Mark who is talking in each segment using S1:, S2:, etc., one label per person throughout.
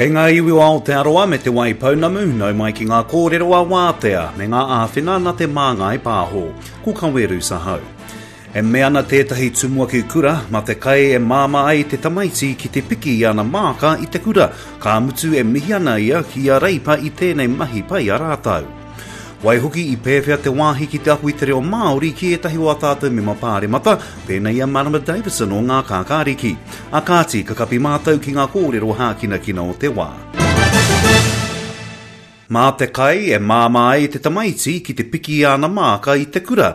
S1: Kei ngā iwi o Aotearoa me Te Waipounamu, nau mai ki ngā kōrero a Wātea me ngā āwhina nā Te Māngai Pāho. Ko Kaweru Sahau. E mea ana tētahi tumuaki kura, mā te kai e māmā ai te tamaiti ki te piki i ana māka i te kura, ka mutu e mihi ana ia ki a Reipa i tēnei mahi pai a rātou. Waihoki i pēwhea te wāhi ki te ako i te reo Māori ki ētahi o ā tātou mema pāremata, pēnei i a Marama Davidson o Ngā Kākāriki. A kāti, ka kapi mātou ki ngā kōrero hākinakina o te wā. Mā te kai e māmā ai te tamaiti ki te piki i āna māka i te kura,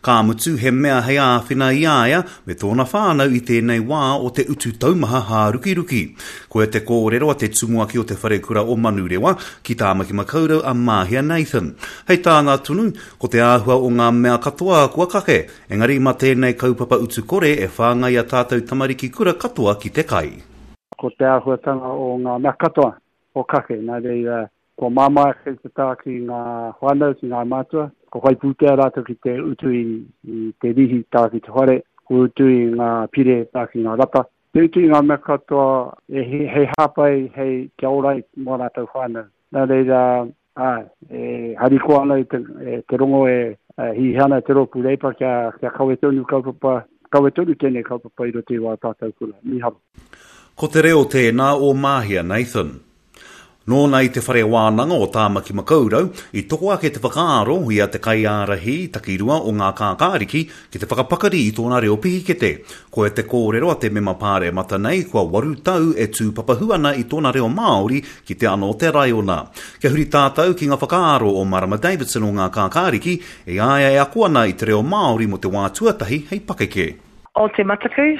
S1: ka mutu he mea hei āwhina i a ia me tōna whānau i tēnei wā o te utu taumaha hārukiruki. Koia te kōrero a te tumuaki o te wharekura o Manurewa ki Tāmaki Makaurau a Māhia Nathan. Hei tāna tonu, ko te āhua o ngā mea katoa kua kake, engari mā tēnei kaupapa utu kore e whāngai a tātou tamariki kura katoa ki te kai.
S2: Ko te āhuatanga o ngā mea katoa kua kake, nā reira, kua māmā ake te tā ki ngā whānau, ki ngā mātua, kua whai pūtea rātou ki te utu i te rīhi tā ki te whare, kua utu i ngā pire tā ki ngā rata, Te utu i ngā mea katoa hei hāpai, hei kia ora ai mō rātou whānau. Nā reira, āe, e harikoa ana i te, te rongo e hiahia ana te rōpū Reipa kia, kia kawe tonu kaupapa, kawe tonu tēnei kaupapa i roto i wā tātou kura. Mīharo.
S1: Ko te reo tēnā o Māhia Nathan. Nōna i te Whare Wānanga o Tāmaki Makaurau, i toko ake te whakaaro i a te kaiārahi takirua o Ngā Kākāriki ki te whakapakari i tōna reo pihikete. Koia te kōrero a te mema pāremata nei kua waru tau e tūpapahu ana i tōna reo Māori ki te ana o te raiona. Kia huri tātou ki ngā whakaaro o Marama Davidson o Ngā Kākāriki i a ia e ako ana i te reo Māori mō te wā tuatahi hei pakeke.
S3: O te mataku,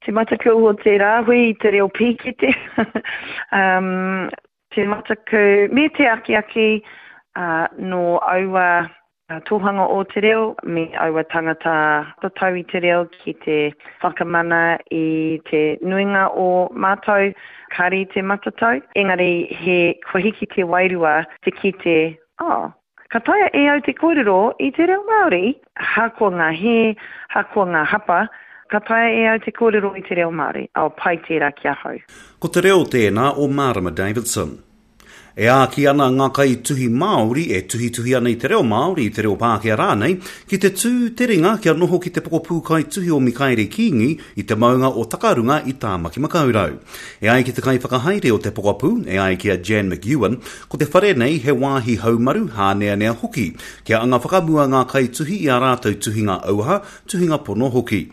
S3: te mataku o te rāhui i te reo pīkete, um, te mataku me te akiaki uh, nō aua tohanga o te reo me aua tangata tatau i te reo ki te whakamana i te nuinga o mātou kāre i te matatau, engari he kua hiki te wairua te kite, oh, Ka taea e au te kōrero i te reo Māori, ahakoa ngā hē, ahakoa ngā hapa, ka taea e au te kōrero i te reo Māori. Oh, pai tērā ki ahau.
S1: Ko te reo tēnā o Mārama Davidson. E āki ana ngā kaituhi Māori e tuhituhi ana i te reo Māori, i te reo Pākehā rānei, ki te tū te ringa kia noho ki te pokapū kaituhi o Mikaere Kīngi i te maunga o Takarunga i Tāmaki-makau-rau. E ai ki te kaiwhakahaere o te pokapū, e ai ki a Jan McEwan, Ko te whare nei he wāhi haumaru, hāneanea hoki, kia anga whakamua ngā kaituhi i ā rātou tuhinga auaha, tuhinga pono hoki.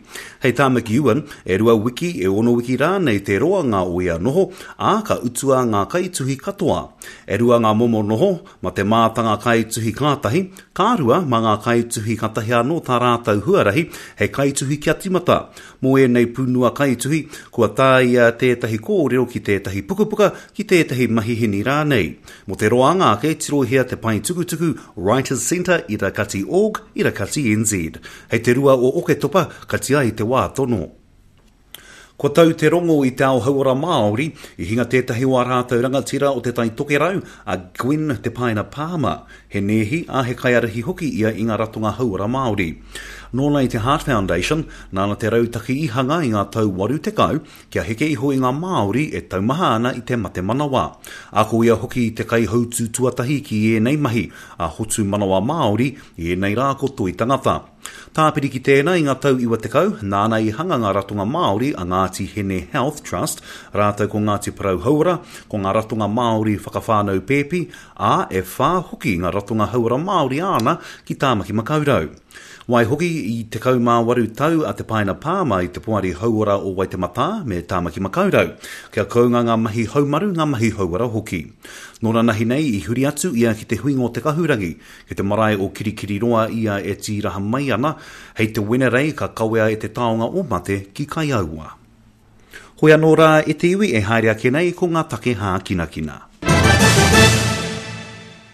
S1: Hei tā McEwan, e rua wiki, e ono wiki rānei te roanga o ia noho, ā, ka utua ngā kaituhi katoa. E rua ngā momo noho, ma te mātanga kaituhi kātahi, ka rua mā ngā kaituhi katahi anō tā rātou huarahi hei kaituhi kia timata. Mō ēnei pūnua kaituhi, kua tāia tētahi kōrero ki tētahi pukapuka, ki tētahi mahihini rānei. Mō te roanga ake, tirohia te pae tukutuku Writers Centre ira kati org, ira kati nz. Hei te rua o Oketopa, kati ai te wā tono. Kua tau te rongo i te ao hauora Māori, i hinga tētahi o ā rātou rangatira o Te Tai Tokerau, a Gwen Te Paina Palmer. He nēhi, ā, he kaiārahi hoki ia i ngā ratonga hauora Māori. Nōna i te Heart Foundation, nāna te rautaki i hanga i ngā tau 80, kia heke iho i ngā Māori e taumaha ana i te mate manawa. Ā, ko ia hoki te kaihautū tuatahi ki ēnei mahi, a Hotu Manawa Māori, i ēnei rā ko Toi Tangata. Tāpiri ki tēnā i ngā tau 90, nāna i hanga ngā ratonga Māori a Ngāti Hine Health Trust rātou ko Ngāti Porou Hauora, ko ngā ratonga Māori whakawhānau pēpi, ā, e whā hoki ngā ratonga hauora Māori āna ki Tāmaki Makaurau. Waihoki, i 18 tau a Te Paina Pāma i te Poari Hauora o Waitematā me Tāmaki Makaurau, kia kounga ngā mahi haumaru, ngā mahi hauora hoki. Nō nanahi nei i huri atu ia ki te huinga o Te Kahurangi, Ki te marae o Kirikiriroa ia e tīraha mai ana, hei te Wenerei ka kawea e te taonga o mate ki Kaiaua. Hoi anō rā e te iwi e haere ake nei ko ngā take hākinakina.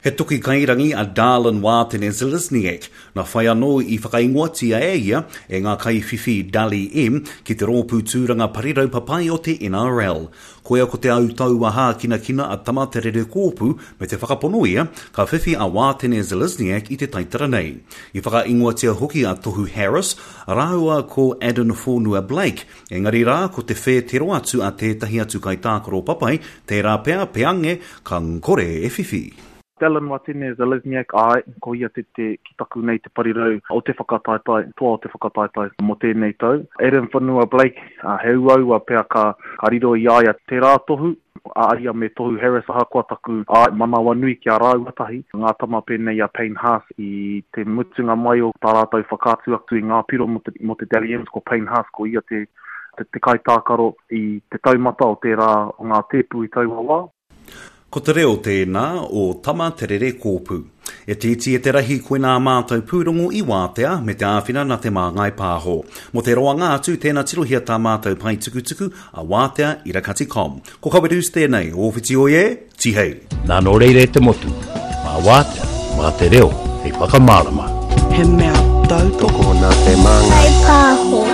S1: He toki kairangi a Dallin Wātene Zelezniak, nā whai anō i whakaingoatia e ia e ngā kaiwhiwhi Dally M ki te rōpū tūranga parirau papai o te NRL. Koia ko te autaua hākinakina a Tama Te Rere Kōpū me te whakapono ia ka whiwhi a Wātene Zelezniak i te taitara nei. I whakaingoatia hoki a Tohu Harris rāua ko Addin Fonua-Blake Engari rā, ko te whētero atu a tētahi atu kaitākaro papai, tērā pea, peange, ka kore e whiwhi.
S4: Dallin Watene Zelezniak, Āe, ko ia te te, ki taku nei te parirau o te whakataetae, toa o te whakataetae mō tēnei tau. Adam Whanua Blake, he uaua pea ka, ka riro i a ia tērā tohu, a ia me Tohu Harris ahakoa taku āe manawanui ki a rāua tahi, ngā tama pēnei i a Payne Haas i te mutunga mai o tā rātou whakaatu atu i ngā piro mō te, mō te Dally M's ko Payne Haas ko ia te, te, te kaitākaro i te taumata o tērā o ngā tēpu i taua wā.
S1: Ko te reo tēnā o Tama Te Rere Kōpū. E te iti e te rahi koinā mātou pūrongo i wātea me te āwhina nā Te Māngai Pāho. Mō te roanga atu tēnā tirohia tā mātou pae tukutuku a wātea irakati com. Ko Kawerus tēnei, ō whiti oi e, tihei!
S5: Nā nō reira e te motu, mā wātea, mā te reo hei whakamārama.
S6: He mea tautoko.
S7: Tokona te māngai.
S8: Pāho.